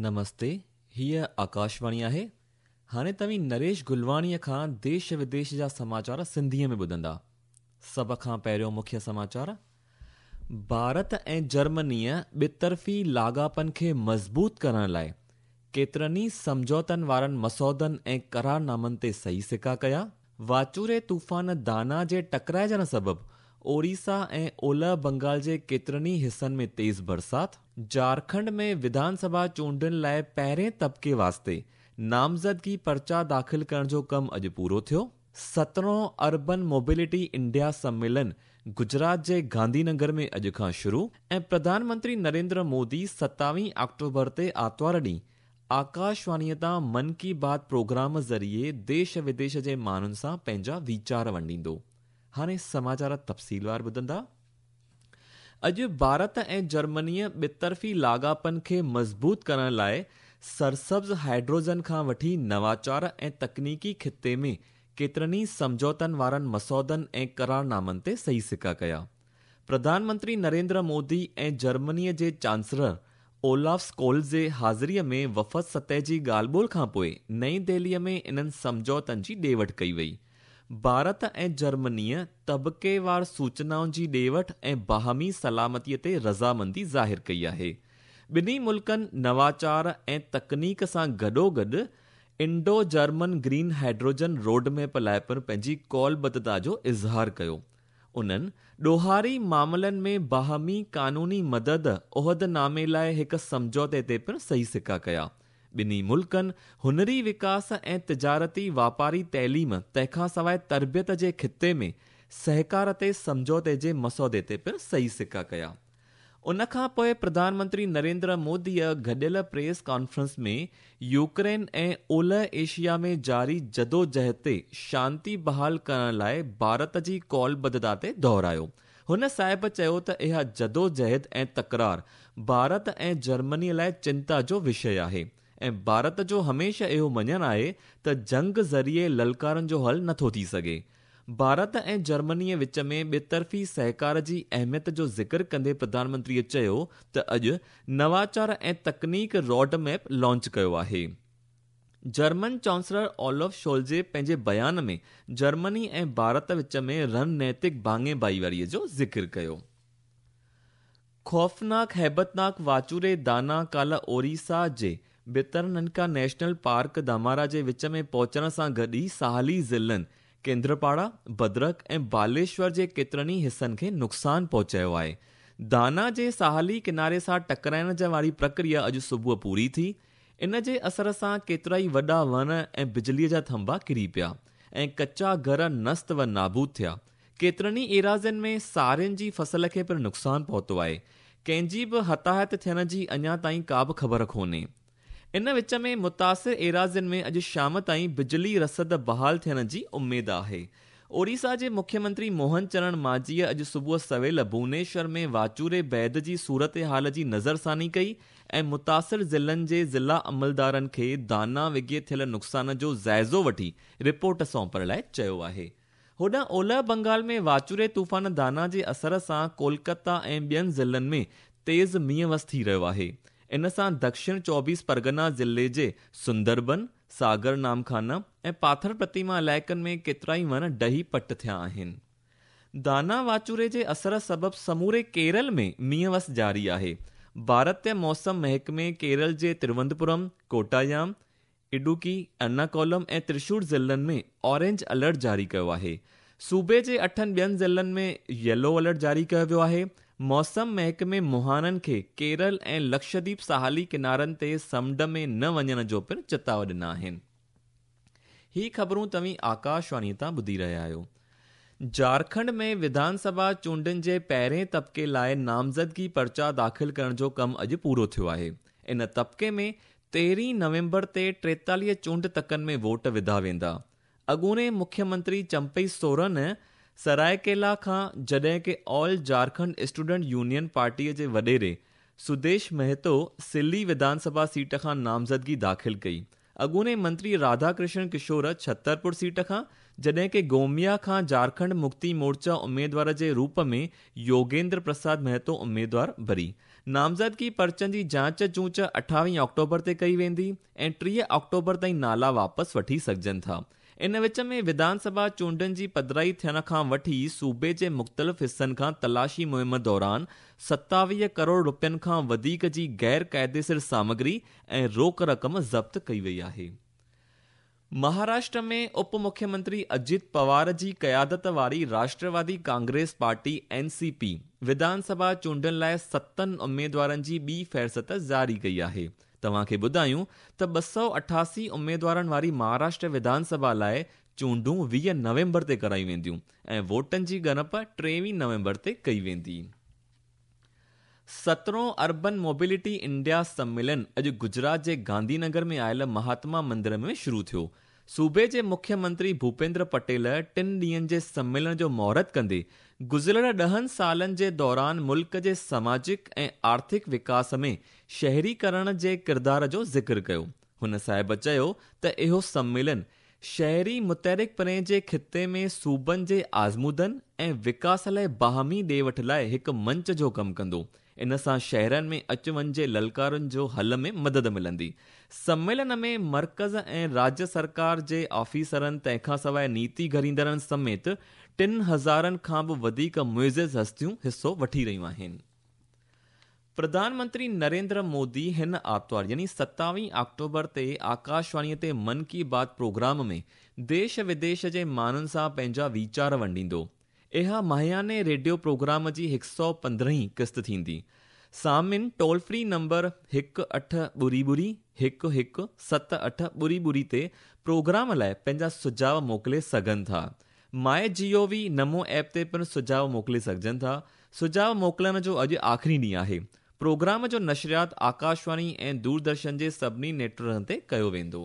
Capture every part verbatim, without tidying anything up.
نمستي، هيء آڪاشواڻي آهي. هاڻي توهين نريش گلواڻيء کان ديش وديش جا سماچار سنڌيء ۾ ٻڌندا. سڀ کان پهريون مکيه سماچار. ڀارت ۽ جرمنيء ٻطرفي لاڳاپن کي مضبوط ڪرڻ لاءِ ڪيترن ئي سمجهوتن وارن مسودن ۽ قرارنامن تي صحيح سڪا ڪيا. واچوڙي طوفان دانا جي ٽڪرائجڻ سبب اوڙيسا ۽ اولهه بنگال جي ڪيترن ئي حصن ۾ تيز برسات. جهارکنڊ ۾ وڌان سڀا چونڊن لاءِ پهرين طبقي واسطي نامزدگي پرچا داخل ڪرڻ جو ڪم اڄ پورو ٿيو. سترهون اربن موبلٽي انڊيا سميلن گجرات جي گانڌي نگر ۾ اڄ کان شروع ۽ پرڌان منتري نريندر مودي ستاويهه آڪٽوبر تي آتوار ڏينهن آڪاشواڻيءَ تان من ڪي بات پروگرام ذريعي ديش وديش جي ماڻهن سان پنهنجا ويچار ونڊيندو. هاڻي سماچار تفصيلوار ٻڌندا. اڄ ڀارت ۽ جرمنيءَ ٻطرفي لاڳاپن کي مضبوط ڪرڻ لاءِ سرسبز هائيڊروجن کان وٺي نواچار ۽ تڪنيڪي خطي ۾ ڪيترن ئي سمجهوتن وارن مسودن ۽ قرارنامن تي صحيح سڪا ڪيا. پرڌان منتري نريندر مودي ۽ جرمنيءَ جي چانسلر اولاف اسڪولز جي حاضريءَ ۾ وفد سطح جي ڳالهه ٻولهه کان پوءِ نئين دهليءَ ۾ انهن سمجهوتن جي ڏي وٺ ڪئي وئي. ڀارت ۽ جرمنيءَ طبقيوار سوچنائن جي ڏي وٺ ۽ باهمي سلامتيءَ تي رضامندي ظاهر ڪئي آهي. ٻنهي ملڪن نواچار ۽ تڪنيڪ سان گڏوگڏ Indo German green hydrogen road map لاءِ پڻ پنهنجي قولبڌتا جو اظهار ڪيو. انهن ڏوهاري معاملن ۾ باهمي قانوني مدد عهدنامي لاءِ هڪ سمجهوتي تي پڻ صحيح سڪا ڪيا. ٻنهي ملڪن هنري وڪاس ۽ تجارتي واپاري تعليم تنهن کان سواءِ تربيت جي خطي ۾ سهڪار تي سمجهوتي جي مسودي تي پڻ صحيح سڪا ڪيا. ان کان پوءِ پرڌان منتري نريندر موديءَ گڏيل پريس ڪانفرنس ۾ يوڪرين ۽ اولهه ايشيا ۾ جاري جدوجهد تي شانتي بحال ڪرڻ لاءِ ڀارت جي قولبڌتا تي دهرايو. هن صاحب چيو ته اها جدوجهد ۽ تڪرار ڀارت ۽ جرمنيءَ لاءِ چنتا جو وشيه آهي ۽ ڀارت جو هميشه اهو مڃڻ آهي ته جنگ ذريعي للڪارن جو حل نٿو ٿي سگهي. ڀارت ۽ جرمنيءَ وچ ۾ ٻطرفي سهڪار جي اهميت جو ذڪر ڪندي پرڌان منتريءَ چيو ته اڄ نواچار ۽ تڪنيڪ روڊ ميپ لانچ ڪيو آهي. جرمن چانسلر اولف شولزي پنهنجي بيان ۾ جرمني ۽ ڀارت وچ ۾ رڻنيتڪ ڀاڱي ڀائيواريءَ جو ذڪر ڪيو. خوفناڪ هيبتناڪ واچوڙي دانا ڪالهه اوڙيسا جي ڀترننڪا نيشنل پارڪ ڌمارا جي وچ ۾ پهچڻ سان گڏ ئي ساحلي ضلعن ڪيندرپاڙا، ڀدرڪ ۽ باليشور جي ڪيترن ئي حصن کي نقصان پهچايو آهي. دانا جي ساحلي ڪناري سان ٽڪرائڻ جي واري پرڪريا اڄ صبح پوري ٿي. ان جي اثر سان ڪيترا ئي وڏا وڻ ۽ بجليءَ جا ٿنڀا ڪري پيا ۽ ڪچا گهر نست و نابود ٿيا. ڪيترن ئي ايراضين ۾ سارين جي فصل کي پڻ نقصان پهتو آهي. ڪنهن جي به هتاهت ٿيڻ جي اڃا تائين ڪا به خبر ڪونهي. ان وچ ۾ متاثر ايراضين ۾ اڄ شام تائين بجلي رسد بحال ٿيڻ جي اميد آهي. اوڙيسا جي مکيه منتري موهن چرڻ ماجهيءَ اڄ صبح سويل ڀونيشور ۾ واچوڙي بعد جي صورت حال جي نظرثاني ڪئي ۽ متاثر ضلعن جي ضلع عملدارن کي دانا وگهي ٿيل نقصان جو جائزو وٺي رپورٽ سونپڻ لاءِ چيو آهي. هوڏانهن اولهه بنگال ۾ واچوڙي طوفان دانا جي اثر سان ڪولڪتا ۽ ٻين ضلعن ۾ تيز مينهن وس ٿي رهيو آهي. ان سان دڪشڻ چوبيس پرگنا ضلعي جي سندربن، ساگر نامخانا ۽ پاٿر پرتيما علائقن ۾ ڪيترا ئي وڻ ڊهي پٽ ٿيا آهن. دانا واچوڙي جي اثر سبب سموري ڪيرل ۾ مينهن وس جاري آهي. ڀارتيه موسم محڪمي ڪيرل جي تروونتپورم، ڪوٽايام، اڊوڪي، ارناڪولم ۽ ترشور ضلعن ۾ اورينج الرٽ جاري ڪيو آهي. صوبي جي اٺن ٻين ضلعن ۾ ييلو الرٽ جاري ڪيو ويو آهي. موسم محڪمي مهاڻن کي ڪيرل ۽ لڪشديپ ساحلي ڪنارن تي سمنڊ ۾ نه وڃڻ جو پڻ چتاءُ ڏنا آهن. هي خبرون توهين آڪاشواڻيءَ تان ٻڌي رهيا آهيو. جهارکنڊ ۾ وڌان سڀا چونڊن جي پهرين طبقي لاءِ نامزدگي پرچا داخل ڪرڻ جو ڪم اڄ پورو ٿيو آهي. ان طبقي ۾ تيرهين نومبر تي ٽيتاليهه چونڊ تڪن ۾ ووٽ وڌا ويندا. اڳوڻي مکيه منتري چمپئي سورن سرائيڪيلا کان جڏهن ڪه آل جهارکنڊ اسٽوڊنٽ يونين پارٽيءَ جي وڏيري سديش مهتو سلي وڌان سڀا سيٽ کان نامزدگي داخل ڪئي. اڳوڻي منتري راڌا ڪرشن ڪشور ڇترپور سيٽ کان جڏهن ڪه گوميا کان جهارکنڊ مڪتي مورچا اميدوار جي روپ ۾ يوگيندر پرساد مهتو اميدوار ڀري. نامزدگي پرچن جي جاچ چونچ اٺاويهه آڪٽوبر تي ڪئي ويندي ۽ ٽيهه آڪٽوبر تائين نالا واپس وٺي سگهجن ٿا. ان وچ ۾ وڌان سڀا چونڊن جي پڌرائي ٿيڻ کان وٺي صوبي جي مختلف حصن کان تلاشي مهم دوران ستاويهه ڪروڙ رپين کان وڌيڪ جي غير قاعديسر سامگري ۽ روڪ رقم ضبط ڪئي وئي آهي. مهاراشٽر ۾ اپ مکيه منتري اجيت پوار جي قيادت واري راشٽروادي ڪانگريس پارٽي اين سي پي وڌان سڀا چونڊن لاءِ ستن اميدوارن جي ٻي فهرست جاري ڪئي آهي. توهان کي ٻڌايون ته ٻه سؤ اٺاسي اميدوارن واري مهاراشٽر وڌان سڀا لاءِ چونڊون ويهه نومبر تي ڪرايون وينديون ۽ ووٽن جي ڳڻپ ٽيويهه نومبر تي ڪئي ويندي. سترهون اربن موبلٽي انڊيا سميلن اڄ گجرات جي گانڌي نگر ۾ آيل مهاتما مندر ۾ شروع ٿيو. صوبي جي مکيه منتري ڀوپيندر پٽيل ٽن ڏينهن جي سميلن جو مهورت ڪندي گذريل ڏهن سالن جي دوران ملڪ جي سماجڪ ۽ آرٿڪ وڪاس ۾ شهريڪرڻ جي ڪردار جو ذڪر ڪيو. هن صاحب چيو ته اهو سميلن شهري متحرڪ پڻي جي خطي ۾ صوبن جي آزمودن ۽ وڪاس لاءِ باهمي ڏي وٺ لاءِ هڪ منچ جو ڪم ڪندو. ان سان شهرن ۾ اچ وڃ جي للڪارن جو حل ۾ مدد ملندي. سميلن ۾ مرڪز ۽ راجيه سرڪار جي آفيسرن تنهن کان سواءِ نيتي گهڙيندڙن سميت ٽن هزارن کان به وڌيڪ معزز هستيون حصو وٺي رهيون آهن. پرڌان منتري نريندر مودي هن آتوار يعني ستاويهه آڪٽوبر تي آڪاشواڻيءَ تي من ڪي بات پروگرام ۾ ديش وديش جي ماڻهن سان پنهنجا ويچار ونڊيندو. اها ماهياني ريڊيو پروگرام جي هڪ سؤ پندرهين قسط ٿيندي. سامعين ٽول فري نمبر هڪ اٺ ٻڙي ٻڙي هڪ هڪ ست اٺ ٻڙي ٻڙي تي پروگرام لاءِ پنهنجا سجهاءُ موڪلي سگهن ٿا. My G O V Namo app تي پڻ سجهاءُ موڪلي سگهجن ٿا. سجهاءُ موڪلڻ جو اڄ آخري ڏينهن آهي. پروگرام جو نشريات آڪاشواڻي ۽ دوردرشن جي سڀني نيٽ ورڪن تي ڪيو ويندو.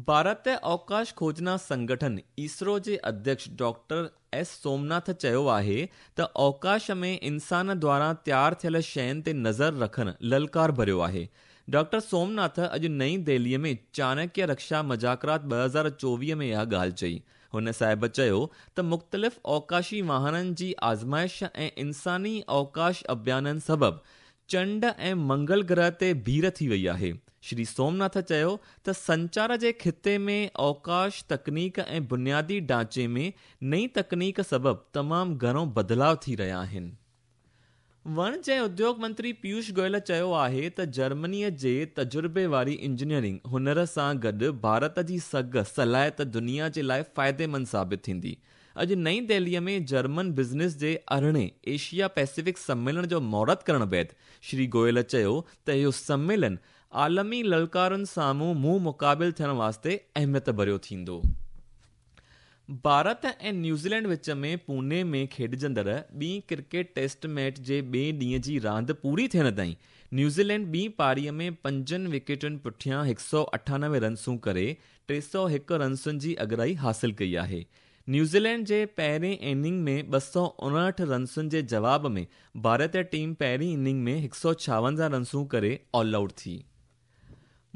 ڀارت اوڪاش کوجنا سنگٺن اسرو جي اڌيڪش ڊاڪٽر ايس سومناٿ چيو آهي ته اوڪاش ۾ انسان دواران تيار ٿيل شين تي نظر رکڻ للڪار ڀريو آهي. ڊاڪٽر سومناٿ اڄ نئين دهليءَ ۾ چاڻڪيه رڪشا مذاڪرات ٻه هزار چوويهه ۾ اها ڳالهه چئي. هن صاحب چيو ته مختلف اوڪاشي واهنن جي آزمائش ۽ انساني اوڪاش اڀيانن سبب چنڊ ۽ منگل گرهه تي ڀيڙ ٿي وئي آهي. شري سومناٿ چيو ته سنچار جي خطي ۾ اوڪاش تڪنيڪ ۽ بنيادي ڍانچي ۾ نئين تڪنيڪ سبب تمام گهڻو بدلاءُ ٿي رهيا آهن. وڻج ۽ اديوگ منتري پيوش گويل چيو آهي ته جرمنيءَ جي تجربي واري انجنيئرنگ هنر سان گڏ ڀارت جي سگهه صلاحيت دنيا جي لاءِ فائديمند ثابت ٿيندي. اڄ نئين دهليءَ ۾ جرمن بزنس جي ارڙهين ايشيا پيسفڪ سميلن جو مهورت ڪرڻ بعد شري گويل چيو ته اهو سميلن عالمي للڪارن سامهون منهن مقابل ٿيڻ واسطي اهميت ڀريو ٿيندو. ڀارت ۽ نيوزيلينڊ وچ ۾ پوني ۾ کيڏجندڙ ٻي ڪرڪيٽ ٽيسٽ ميچ جي ٻئي ڏينهن جي راند پوري ٿيڻ تائين نيوزيلينڊ ٻي پاريءَ ۾ پنجن وڪيٽن پٺيان هڪ سؤ اٺانوي رنسون ڪري ٽي سؤ هڪ رنسن جي اڳرائي حاصل ڪئي آهي. نيوزيلينڊ جي پهرين اننگ ۾ ٻه سؤ اڻهٺ رنسن جي جواب ۾ ڀارتيه ٽيم پهرين اننگ ۾ هڪ سؤ ڇاونجاهه رنسون ڪري آل آئوٽ ٿي.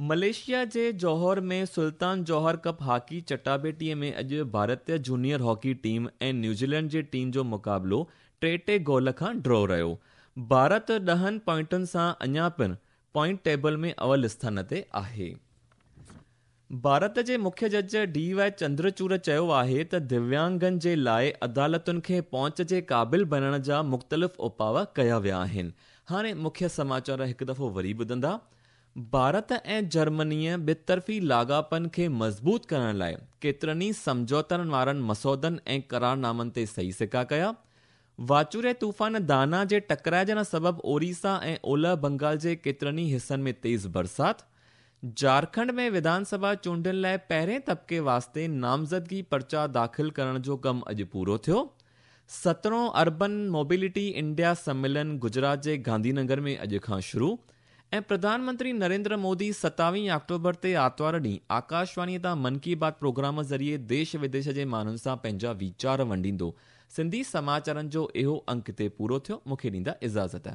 ملائيشيا جي جوهر ۾ سلطان جوهر ڪپ هاڪي چٽاڀيٽيءَ ۾ اڄ ڀارتيه جونيئر هاڪي ٽيم ۽ نيوزيلينڊ جي ٽيم جو مقابلو ٽي ٽي گول کان ڊرا رهيو. ڀارت ڏهن پوائنٽن سان اڃا پڻ پوائنٽ ٽيبل ۾ اول اسٿان تي آهي. ڀارت جي مکيه جج ڊي وائي چندرچوڙ چيو آهي ته دويانگن جي لاءِ عدالتن کي پهچ جي قابل بڻائڻ جا مختلف اپاءُ ڪيا ويا آهن. هاڻي مکيه سماچار هڪ دفعو وري ٻڌندا. ڀارت ۽ جرمنيءَ ٻطرفي لاڳاپن کي مضبوط ڪرڻ لاءِ ڪيترن ئي سمجهوتن وارن مسودن ۽ قرارنامن تي صحيح سڪا ڪيا. واچوڙي طوفان دانا جي ٽڪرائجڻ سبب اوريسا ۽ اولهه بنگال جي ڪيترن ئي حصن ۾ تيز برسات. جهارکنڊ ۾ وڌان سڀا چونڊن لاءِ پهرين طبقي واسطي نامزدگي پرچا داخل ڪرڻ جو ڪم اڄ پورو ٿيو. سترهون اربن موبلٽي انڊيا سميلن گجرات جي گانڌي نگر ۾ اڄ کان شروع. ۽ پرڌان منتري نريندر مودي ستاويهه آڪٽوبر تي آتوار ڏينهن آڪاشواڻيءَ تان من ڪي بات پروگرام ذريعي ديش وديش جي ماڻهن سان پنهنجا ويچار ونڊيندو. سنڌي سماچارن جو اهو انڪ هتي پورو ٿيو. مون کي ڏيندا اجازت.